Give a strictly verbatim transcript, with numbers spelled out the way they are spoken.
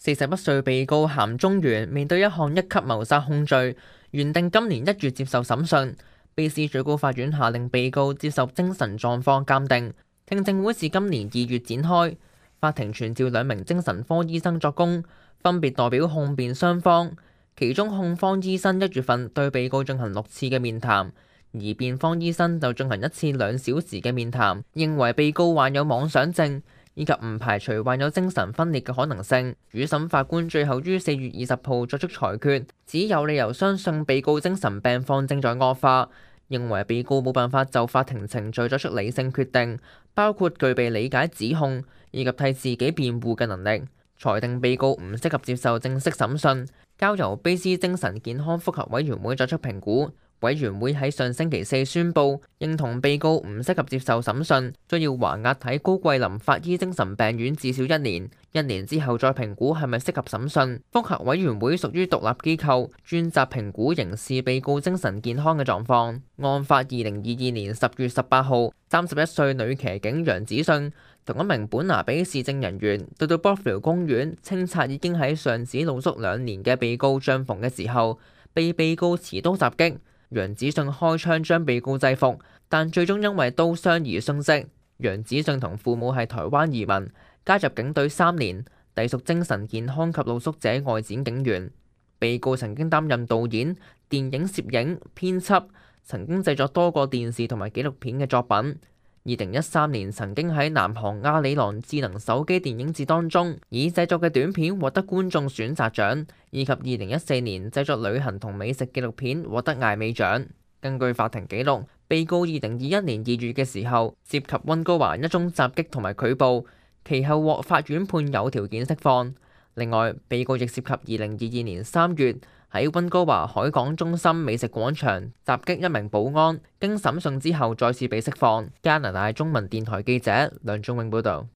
四十一歲被告咸忠元面對一項一級謀殺控罪，原定今年一月接受審訊。卑詩最高法院下令被告接受精神狀況鑑定，聽證會是今年二月展開。法庭傳召兩名精神科醫生作供，分別代表控辯雙方。其中控方醫生一月份對被告進行六次嘅面談，而辯方醫生就進行一次兩小時嘅面談，認為被告患有妄想症，以及唔排除患有精神分裂嘅可能性。主審法官最後於四月二十號作出裁決，只有理由相信被告精神病況正在惡化，認為被告冇辦法就法庭程序作出理性決定，包括具備理解指控以及替自己辯護嘅能力，裁定被告唔適合接受正式審訊，交由卑詩精神健康複核委員會作出評估。委員會喺上星期四宣布認同被告唔適合接受審訊，需要還押喺高桂林法醫精神病院至少一年，一年之後再評估係咪適合審訊。複核委員會屬於獨立機構，專責評估刑事被告精神健康嘅狀況。案發二零二二年十月十八號，三十一歲女騎警楊子信同一名本拿比市政人員到到 Bothwell 公園清拆已經喺上址露宿兩年嘅被告帳篷嘅時候，被被告持刀襲擊。楊子信開槍將被告制服，但最終因為刀傷而殉職。楊子信同父母係台灣移民，加入警隊三年，隸屬精神健康及露宿者外展警員。被告曾經擔任導演、電影攝影、編輯，曾經製作多個電視同埋紀錄片嘅作品。二零一三年曾經喺南韓亞里郎智能手機電影節當中，以製作嘅短片獲得觀眾選擇獎，以及二零一四年製作旅行同美食紀錄片獲得艾美獎。根據法庭記錄，被告二零二一年二月嘅時候涉及溫哥華一宗襲擊同埋拒捕，其後獲法院判有條件釋放。另外，被告亦涉及二零二二年三月喺溫哥華海港中心美食廣場襲擊一名保安，經審訊之後再次被釋放。加拿大中文電台記者梁仲永報導。